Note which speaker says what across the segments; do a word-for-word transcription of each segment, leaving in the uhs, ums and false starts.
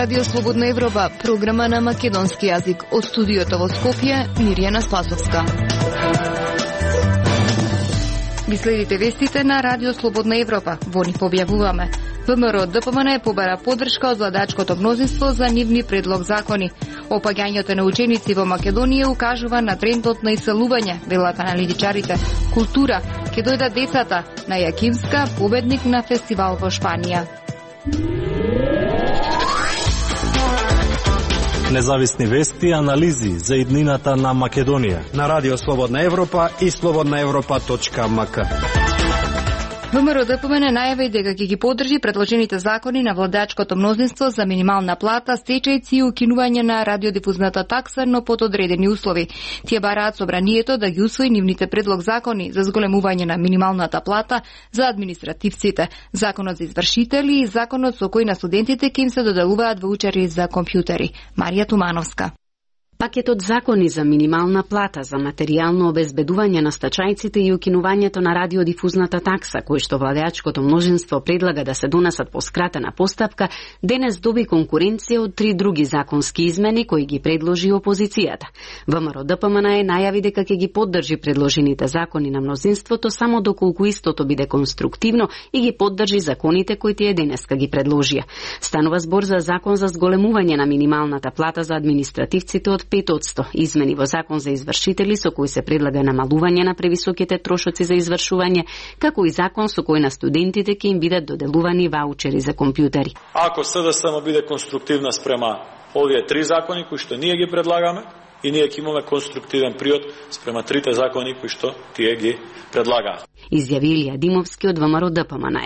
Speaker 1: Радио Слободна Европа, програма на македонски јазик. Од студиото во Скопје, Мирјана Спасовска. Ги следите вестите на Радио Слободна Европа. Во нив објавуваме. ВМРО-ДПМН побара поддршка од владачкото мнозинство за нивни предлог закони. Опаѓањето на ученици во Македонија укажува на трендот на иселување, велат аналитичарите. Култура, ќе дојдат децата на Јакимска, победник на фестивал во Шпанија.
Speaker 2: Независни вести и анализи за иднината на Македонија
Speaker 3: на Радио Слободна Европа и слободна европа точка ем ка.
Speaker 1: ВМРО-ДПМН најави дека ќе ги поддржи предложените закони на владачкото мнозинство за минимална плата, стечајци и укинување на радиодифузната такса, но под одредени услови. Тие бараат собранието да ги усвои нивните предлог закони за зголемување на минималната плата за административците, законот за извршители и законот со кој на студентите ќе им се доделуваат ваучери за компјутери. Марија Тумановска.
Speaker 4: Пакетот закони за минимална плата, за материјално обезбедување на стачајците и укинувањето на радиодифузната такса, кој што владеачкото мнозинство предлага да се донесат по скратена постапка, денес доби конкуренција од три други законски измени кои ги предложи опозицијата. ВМРО-ДПМН најави дека ќе ги поддржи предложените закони на мнозинството само доколку истото биде конструктивно и ги поддржи законите кои тие денеска ги предложија. Станува збор за закон за зголемување на минималната плата за административците од пет одсто, измени во закон за извршители со кој се предлага намалување на превисоките трошоци за извршување, како и закон со кој на студентите ќе им бидат доделувани ваучери за компјутери.
Speaker 5: Ако СДСМ биде конструктивна спрема овие три закони кои што ние ги предлагаме, и ние ќе имаме конструктивен приод спрема трите закони кои што тие ги предлагаат.
Speaker 4: Изјави Илија Димовски од ВМРО-ДПМН.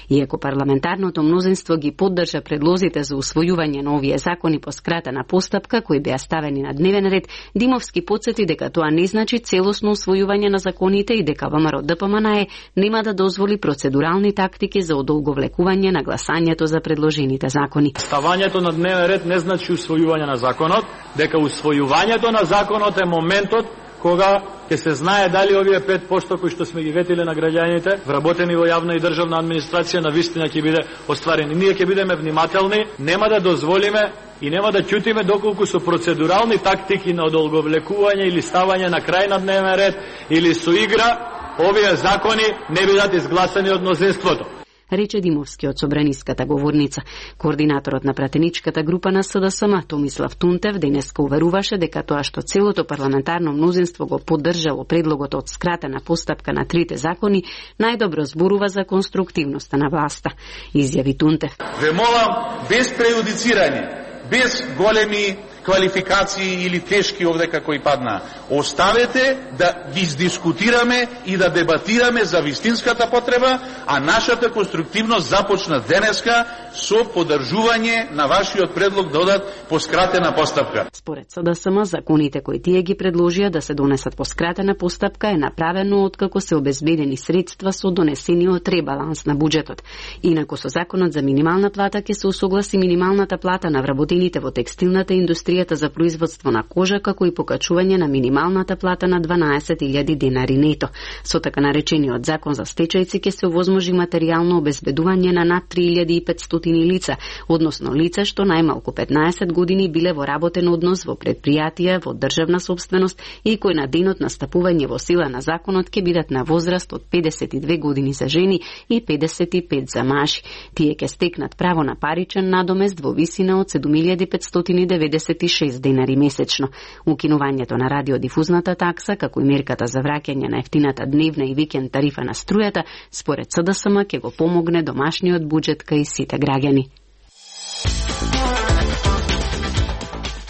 Speaker 4: Иако парламентарното мнозинство ги поддржа предлозите за усвојување на овие закони по скратена постапка кои беа ставени на дневен ред, Димовски потсети дека тоа не значи целосно усвојување на законите и дека ВМРО-ДПМН нема да дозволи процедурални тактики за одолговлекување на гласањето за предложените закони.
Speaker 5: Ставањето на дневен ред не значи усвојување на законот, дека усвојувањето на законот е моментот кога ќе се знае дали овие пет одсто кои што сме ги ветиле на граѓаните, вработени во јавна и државна администрација, на вистина ќе биде остварени. Ние ќе бидеме внимателни, нема да дозволиме и нема да ќутиме доколку со процедурални тактики на одолговлекување или ставање на крај на дневен ред или со игра, овие закони не бидат изгласани од мнозинството,
Speaker 4: рече Димовски од собраниската говорница. Координаторот на пратеничката група на СДСМ, Томислав Тунтев, денеска уверуваше дека тоа што целото парламентарно мнозинство го поддржало предлогот од скратена постапка на трите закони, најдобро зборува за конструктивноста на власта. Изјави Тунтев.
Speaker 6: Ве молам, без прејудицирање, без големи квалификации или тешки овдека кои падна, оставете да ги издискутираме и да дебатираме за вистинската потреба, а нашата конструктивност започна денеска со поддржување на вашиот предлог да одат по скратена постапка.
Speaker 4: Според СДСМ, законите кои тие ги предложија да се донесат по скратена постапка е направено откако се обезбедени средства со донесениот ребаланс на буџетот. Инаку со законот за минимална плата ќе се усогласи минималната плата на вработените во текстилната индустрија за производство на кожа, како и покачување на минималната плата на дванаесет илјади денари нето. Со така наречениот закон за стечајци ќе се овозможи материјално обезбедување на над три илјади и петстотини лица, односно лица што најмалку петнаесет години биле во работен однос во предпријатија во државна сопственост и кои на денот на стапување во сила на законот ќе бидат на возраст од педесет и две години за жени и педесет и пет за мажи. Тие ќе стекнат право на паричен надомест во висина од седум илјади петстотини деветдесет и шест денари месечно. Укинувањето на радиодифузната такса, како и мерката за враќање на ефтината дневна и викенд тарифа на струјата, според СДСМ ќе го помогне домашниот буџет кај сите граѓани.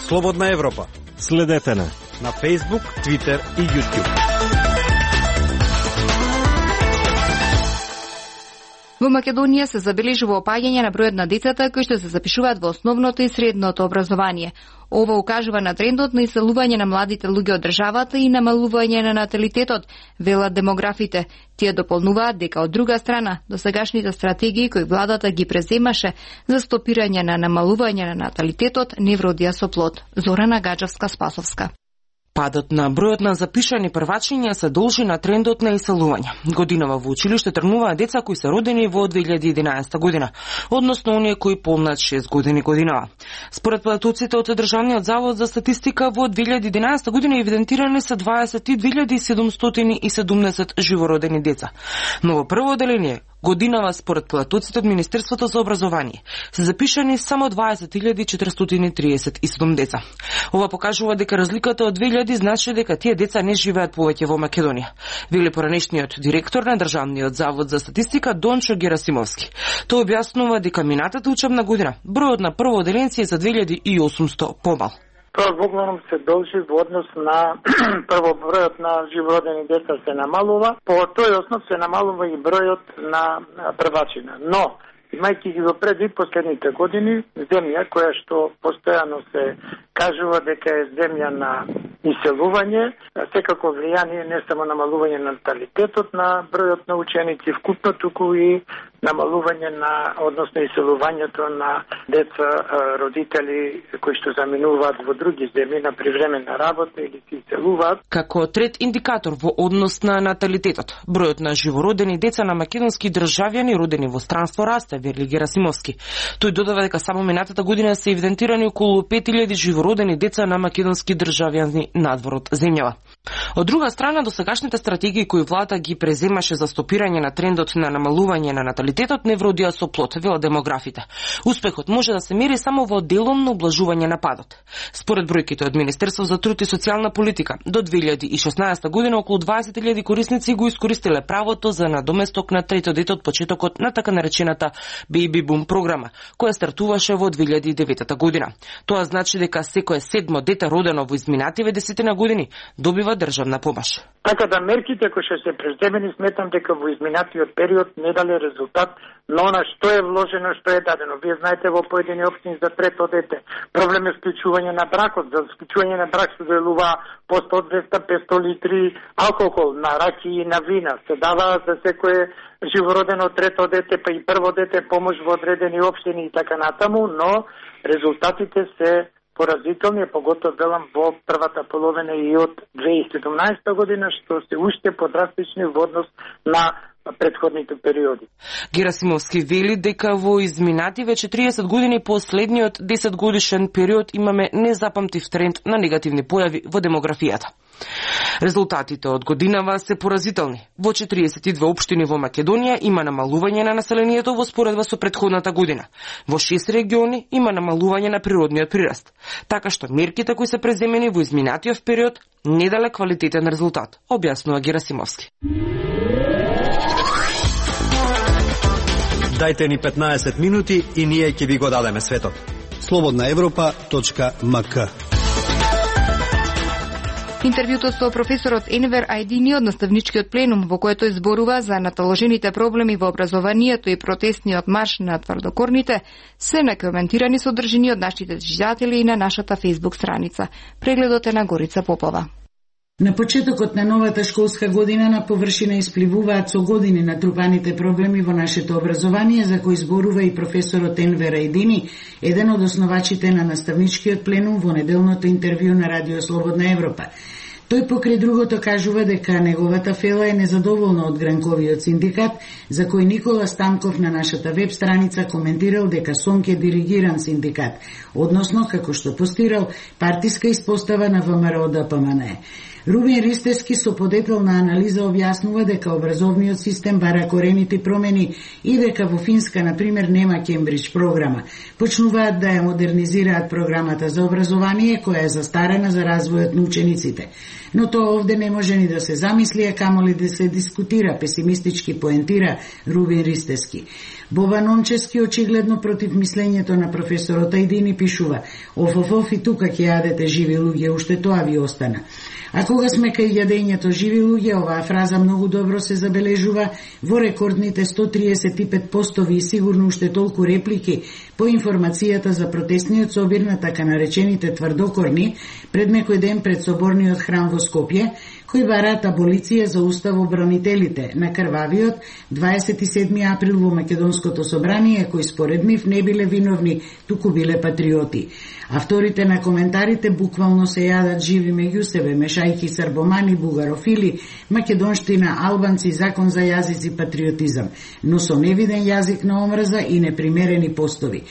Speaker 3: Слободна Европа.
Speaker 2: Следете на
Speaker 3: на Facebook, Twitter и YouTube.
Speaker 1: Во Македонија се забележува опаѓање на бројот на децата кои што се запишуваат во основното и средното образование. Ова укажува на трендот на иселување на младите луѓе од државата и намалување на наталитетот, велат демографите. Тие дополнуваат дека од друга страна, досегашните стратегии кои владата ги преземаше за стопирање на намалување на наталитетот не вродија со плод. Зорана Гаджевска-Спасовска.
Speaker 7: Падот на бројот на запишани првачиња се должи на трендот на иселување. Годинава во училиште тргнуваат деца кои се родени во две илјади и единаесета година, односно оние кои помнат шест години годинава. Според податоците од Државниот завод за статистика во две илјади и единаесета година евидентирани се дваесет и две илјади седумстотини и седумдесет живородени деца. Но во прво одделение годинава според податоците од Министерството за образование се запишани само дваесет илјади четиристотини триесет и седум деца. Ова покажува дека разликата од две илјади значи дека тие деца не живеат повеќе во Македонија, вели поранешниот директор на Државниот завод за статистика Дончо Герасимовски. Тој објаснува дека минатата учебна година бројот на прво одделенци е за две илјади и осумсто помал.
Speaker 8: Тоа воглавном се должи во однос на прво бројот на живородени деца се намалува, по тој основ се намалува и бројот на првачина. Но, имајќи ги во предвид последните години, земја која што постојано се кажува дека е земја на иселување, секако влијание не само намалување на наталитетот на бројот на ученици вкупно, туку и намалување на, односно иселувањето на деца, родители кои што заминуваат во други земји на привременна работа или се иселуваат.
Speaker 7: Како трет индикатор во однос на наталитетот, бројот на живородени деца на македонски државјани родени во странство расте, вели Герасимовски. Тој додава дека само минатата година се евидентирани околу пет илјади живородени деца на македонски државјани надвор од земјава. Од друга страна, досегашните стратегии кои владата ги преземаше за стопирање на трендот на намалување на наталитетот не вродија со плод, велат демографите. Успехот може да се мери само во деломно облажување на падот. Според бројките од Министерство за труд и социјална политика, до две илјади и шеснаесета година околу дваесет илјади корисници го искористиле правото за надоместок на трето дете од почетокот на така наречената Baby Boom програма, која стартуваше во две илјади и деветата година. Тоа значи дека секое седмо дете родено во изминативе десетина години добива државна помош.
Speaker 8: Така да мерките кои што се преземени сметам дека во изминатиот период не дале резултат на она што е вложено, што е дадено. Вие знаете во поедини општини за трето дете проблем е склучување на бракот, за склучување на брак се делува по сто, двеста, петсто литри алкохол на раки и на вина. Се дава за секое живородено трето дете, па и прво дете помош во одредени општини и така натаму, но резултатите се поразителни, поготово велам во првата половина и од две илјади и седумнаесета година, што се уште подрастични во однос на претходните периоди.
Speaker 7: Герасимовски вели дека во изминативе четириесет години последниот десет годишен период имаме незапамтив тренд на негативни појави во демографијата. Резултатите од годинава се поразителни. Во четириесет и две општини во Македонија има намалување на населението во споредба со претходната година. Во шест региони има намалување на природниот прираст. Така што мерките кои се преземени во изминатиот период не дале квалитетен резултат, објаснува Герасимовски.
Speaker 3: Дајте ни петнаесет минути и ние ќе ви го дадеме светот. слободна европа точка ем ка.
Speaker 1: Интервјуто со професорот Енвер Ајдини од наставничкиот пленум, во което изборува за наталожените проблеми во образованието и протестниот марш на тврдокорните, се накоментирани содржини од нашите читатели и на нашата фејсбук страница. Прегледот е на Горица Попова.
Speaker 9: На почетокот на новата школска година на површина испливуваат со години натрупаните проблеми во нашето образование, за кои зборува и професорот Енвер Ајдини, еден од основачите на наставничкиот пленум во неделното интервју на Радио Слободна Европа. Тој покрај другото кажува дека неговата фела е незадоволна од гранковиот синдикат, за кој Никола Станков на нашата веб страница коментирал дека СОНК е диригиран синдикат, односно, како што постирал, партиска испостава на ВМРО Д П М Н. Рубин Ристевски со подетелна анализа објаснува дека образовниот систем бара корените промени и дека во Финска, например, нема Кембридж програма. Почнуваат да ја модернизираат програмата за образование, која е застарена за развојот на учениците. Но тоа овде не може ни да се замисли, а камоли да се дискутира, песимистички поентира Рубин Ристевски. Боба Номчевски очигледно против мислењето на професорот Ајдини пишува: оф, оф, оф, и тука ќе јадете живи луѓе, уште тоа ви остана. А кога сме кај јадењето живи луѓе, оваа фраза многу добро се забележува во рекордните сто триесет и пет постови и сигурно уште толку реплики по информацијата за протестниот собир на така наречените тврдокорни пред некој ден пред соборниот храм во Скопје, кои бараат аболиција за уставобранителите на крвавиот дваесет и седми април во Македонското собрание, кои според нив не биле виновни, туку биле патриоти. Авторите на коментарите буквално се јадат живи меѓу себе, мешајки србомани, бугарофили, македонштина, албанци, закон за јазици, патриотизам, но со невиден јазик на омрза и непримерени постови.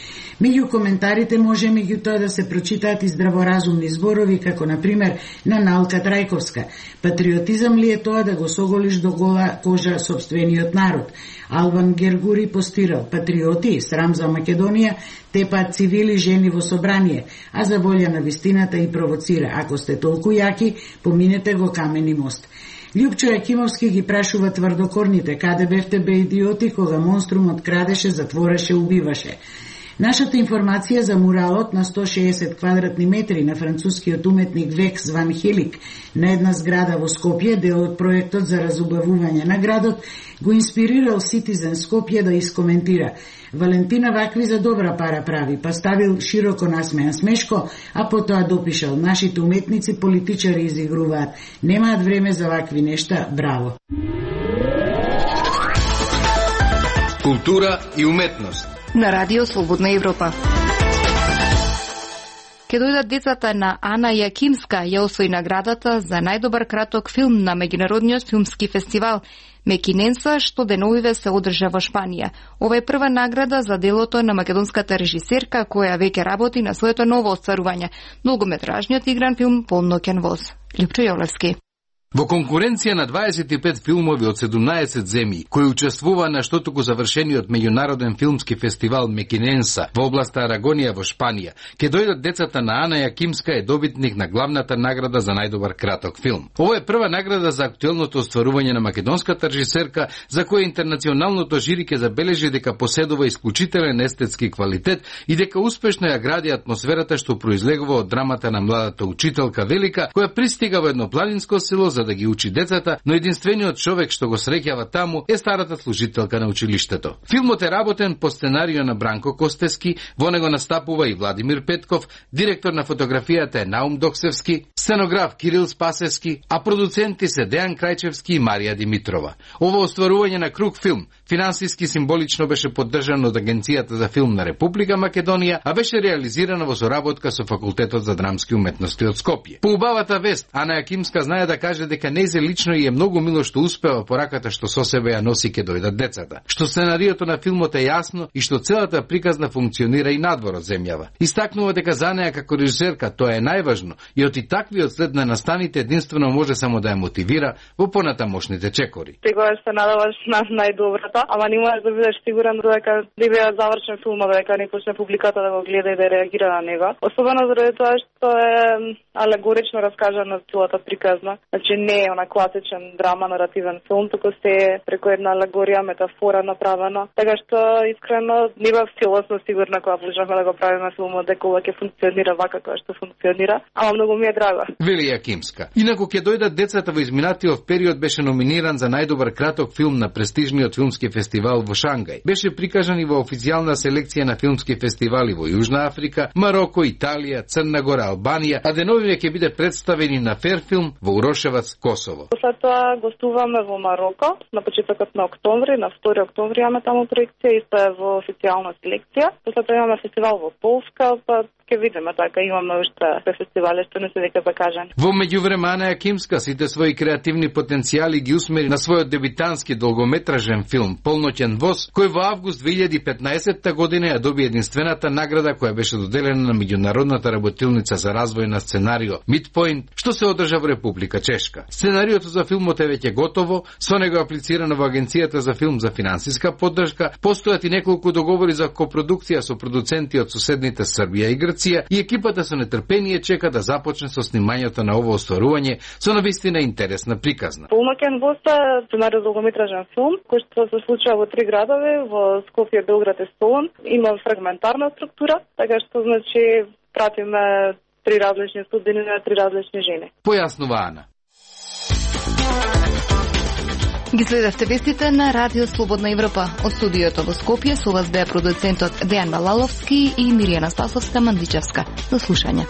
Speaker 9: Меѓу коментарите може меѓутоа да се прочитаат и здраворазумни зборови, како на пример на Налка Трајковска. Патриотизам ли е тоа да го соголиш до гола кожа собствениот народ? Албан Гергури постирал: патриоти, срам за Македонија, тепаат цивили жени во собрание, а за волја на вистината и провоцира: ако сте толку јаки, поминете го Камени мост. Љупчо Јакимовски ги прашува тврдокорните: каде бевте бе идиоти кога монструмот крадеше, затвореше, убиваше? Нашата информација за муралот на сто шеесет квадратни метри на францускиот уметник Векс ван Хелик на една зграда во Скопје, дел од проектот за разубавување на градот, го инспирирал Citizen Скопје да искоментира: Валентина вакви за добра пара прави, па ставил широко насмеан смешко, а потоа допишал: нашите уметници политичари изигруваат, немаат време за вакви нешта, браво.
Speaker 10: Култура и уметност
Speaker 1: на Радио Слободна Европа. Ке дојдат децата на Ана Јакимска, ја освои наградата за најдобар краток филм на меѓународниот филмски фестивал Мекиненса, што деновиве се одржа во Шпанија. Ова е прва награда за делото на македонската режисерка, која веќе работи на своето ново остварување, долгометражниот игран филм Полноќен воз. Лјупчо Јовлевски.
Speaker 10: Во конкуренција на дваесет и пет филмови од седумнаесет земји, кои учествува на штотуку завршениот меѓународен филмски фестивал Мекиненса во областа Арагонија во Шпанија, ке дојдат децата на Ана Јакимска, е добитник на главната награда за најдобар краток филм. Ова е прва награда за актуелното остварување на македонската режисерка, за која интернационалното жири ке забележи дека поседува исклучителен естетски квалитет и дека успешно ја гради атмосферата што произлегува од драмата на младата учителка Велика, која пристига во еднопланинско село за да ги учи децата, но единствениот човек што го среќава таму е старата служителка на училиштето. Филмот е работен по сценарио на Бранко Костески, во него настапува и Владимир Петков, директор на фотографијата е Наум Доксевски, сценограф Кирил Спасевски, а продуценти се Дејан Крајчевски и Марија Димитрова. Ова остварување на круг филм финансиски символично беше поддржано од Агенцијата за филм на Република Македонија, а беше реализирана во соработка со Факултетот за драмски уметности од Скопје. По убавата вест, Ана Јакимска знае да каже дека нејзе лично и е многу мило што успева пораката што со себе ја носи ке дојдат децата, што сценариото на филмот е јасно и што целата приказна функционира и надвор од земјава. Истакнува дека за неа како режисерка тоа е најважно и од и таквиот след на настаните единствено може само да ја мотивира во понатамошните чекори.
Speaker 11: Секогаш се надаваш на најдобрата, ама не можеш да бидеш сигурен дека да биде завршен филмот, дека не почне публиката да го гледа и да реагира на него. Особено заради тоа што е алегорично раскажана целата приказна. Значи не е она класичен драма наративен филм, туку се преку една алегорија, метафора направена. Така што искрено не бев целосно сигурна кога почнавме да го правиме филмот дека ова ќе функционира вака како што функционира, ама многу ми е драго. Вели
Speaker 10: Јакимска. Инаку ќе дојдат децата во изминатиот период беше номиниран за најдобар краток филм на престижниот филмски фестивал во Шангај. Беше прикажан и во официјална селекција на филмски фестивали во Јужна Африка, Мароко, Италија, Црна Гора, Албанија, а деновиве ќе биде представени на Ферфилм во Урошевац, Косово.
Speaker 11: След тоа гостуваме во Мароко на почетокот на октомври, на втори октомври имаме таму проекција, исто е во официјална селекција. После тоа имаме фестивал во Полска, па ќе видиме, така имаме уште фестивали што не се дека закажани.
Speaker 10: Во меѓувреме Ана Јакимска сите свои креативни потенцијали ги усмери на својот дебитански долгометражен филм Полноќен воз, кој во август две илјади и петнаесетта година ја доби единствената награда која беше доделена на меѓународната работилница за развој на сценарио Midpoint, што се одржа во Република Чешка. Сценариото за филмот е веќе готово, со него аплицирано во Агенцијата за филм за финансиска поддршка, постојат и неколку договори за копродукција со продуценти од соседните Србија и Грција и екипата со нетрпение чека да започне со снимањето на ово остварување со навистина интересна приказна.
Speaker 11: Полноќен воз е сценарио за долгометражен филм кој што се случува во три градови, во Скопје, Белград и Солун. Има фрагментарна структура, така што значи пратиме три различни судбини на три различни жени.
Speaker 10: Појаснува Ана.
Speaker 1: Ги следевте вестите на Радио Слободна Европа. Од студиото во Скопје со вас беа продуцентот Дејан Балаловски и Миријана Спасовска Мандичевска. До слушање.